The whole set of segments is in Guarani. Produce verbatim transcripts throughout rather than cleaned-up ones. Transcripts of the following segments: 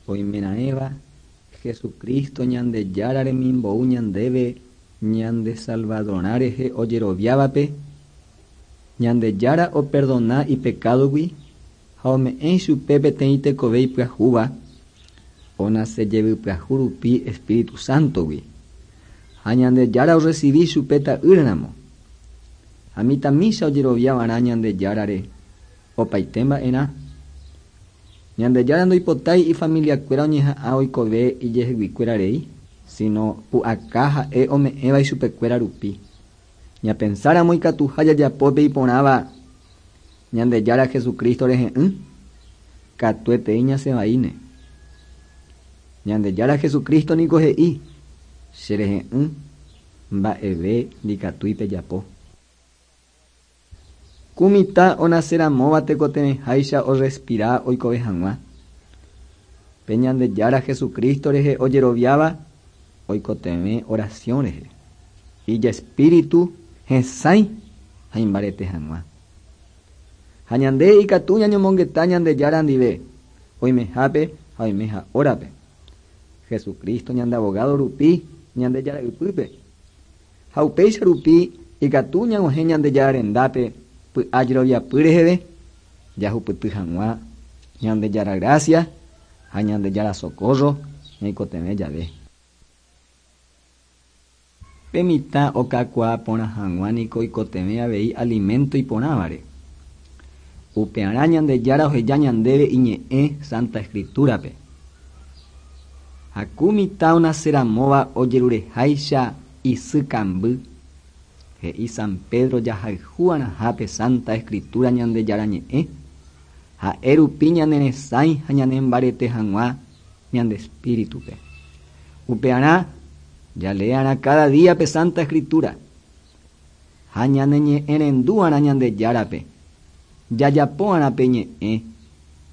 Oimeraẽva Jesucristo Ñandejára remimbou ñandéve ñande Salvadorã rehe ojeroviávape, Ñandejára operdona ipecádogui ha ome'ẽ chupe peteĩ tekove ipyahúva onase jevypyahu rupi Espíritu Santogui ha Ñandejára orecibi chupe ta'ýramo ha mitãmícha ojeroviavarã Ñandejárare opaite mba'erã Ñandejára ndoipotái ifamiliakuéra oñeha'ã oikove ijeheguikuéra rei sino pu'aka ha'e ome'ẽva ichupekuéra rupi ñapensáramo ikatuha jajapópe iporãva Ñandejára Jesucristo rehe'ỹ katuetei ñasẽvaíne Ñandejára Jesucristo niko he'i cherehe'ỹ mba'eve ndikatúi pejapo Ku mitã onaseramóva tekotevẽháicha orespira oikove hag̃ua pe Ñandejára Jesucristo rehe ojeroviáva oikotevẽ oración rehe ijespíritu hesãi ha imbarete hag̃ua ha ñande ikatu ñañomongeta Ñandejára ndive oimehápe ha oimeha hórape Jesucristo ñande abogado rupi Ñandejára ypýpe ha upéicha rupi ikatu ñag̃uahẽ Ñandejára rendápe py'a jeroviapy reheve jahupyty hag̃ua Ñandejára gracia ha Ñandejára socorro ñaikotevẽ jave Pe mitã okakuaa porã hag̃ua niko oikotevẽ avei alimento iporãvare upearã Ñandejára oheja ñandéve iñe'ẽ Santa Escriturape ha ku mitã onaseramóva ojerureháicha isy kamby he'i San Pedro jahayhu'arãhápe Santa Escritura Ñandejára ñe'ẽ ha'e rupi ñaneresãi ha ñanembarete hag̃ua ñande espíritupe upearã jalearã cada día pe Santa Escritura ha ñaneñe'ẽrendu'arã Ñandejárape jajapo'arã pe ñe'ẽ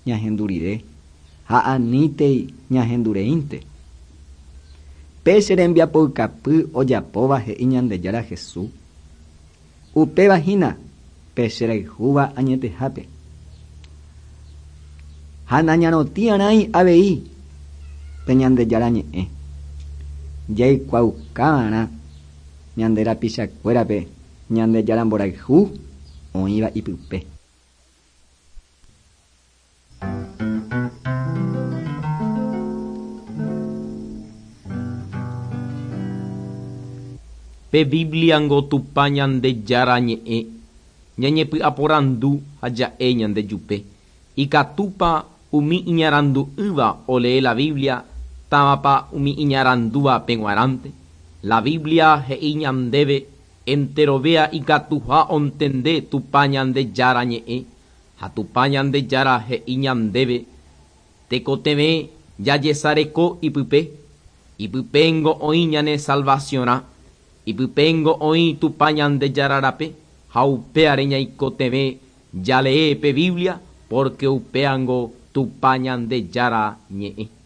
ñahendu rire ha anítei ñahendureínte pe che rembiapoukapy ojapóva he'i Ñandejára Jesús upéva hína pe cherayhúva añetehápe ha nañarotĩarãi avei pe Ñandejára ñe'ẽ jaikuauka'arã ñande rapichakuérape Ñandejára mborayhu oĩva ipype Pe Biblia ngo Tupã Ñandejára ñe'ẽ ñañepy'aporandu ha ja'e ñandejupe ikatúpa umi iñarandu'ỹva olee la Biblia távapa umi iñarandúva peg̃uarãnte La Biblia he'i ñandéve enterovéa ikatuha ontende Tupã Ñandejára ñe'ẽ ha Tupã Ñandejára he'i ñandéve tekotevẽ jajesareko ipype ipypengo oĩ ñane salvacionrã ipypengo oĩ Tupã Ñandejára rape ha upéare ñaikotevẽ jalee pe Biblia porque upéango Tupã Ñandejára ñe'ẽ.